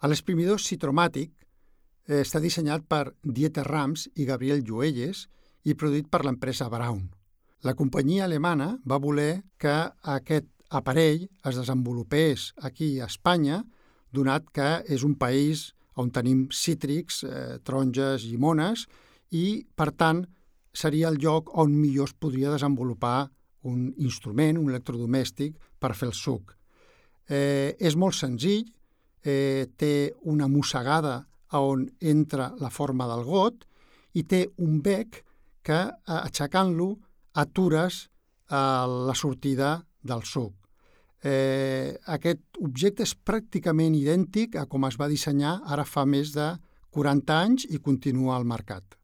L'exprimidor citromàtic està dissenyat per Dieter Rams i Gabriel Lluelles i produït per l'empresa Braun. La companyia alemana va voler que aquest aparell es desenvolupés aquí a Espanya, donat que és un país on tenim cítrics, taronges, llimones, i, per tant, seria el lloc on millor es podria desenvolupar un instrument, un electrodomèstic, per fer el suc. És molt senzill, té una mossegada on entra la forma del got i té un bec que, aixecant-lo, atures la sortida del suc. Aquest objecte és pràcticament idèntic a com es va dissenyar ara fa més de 40 anys i continua al mercat.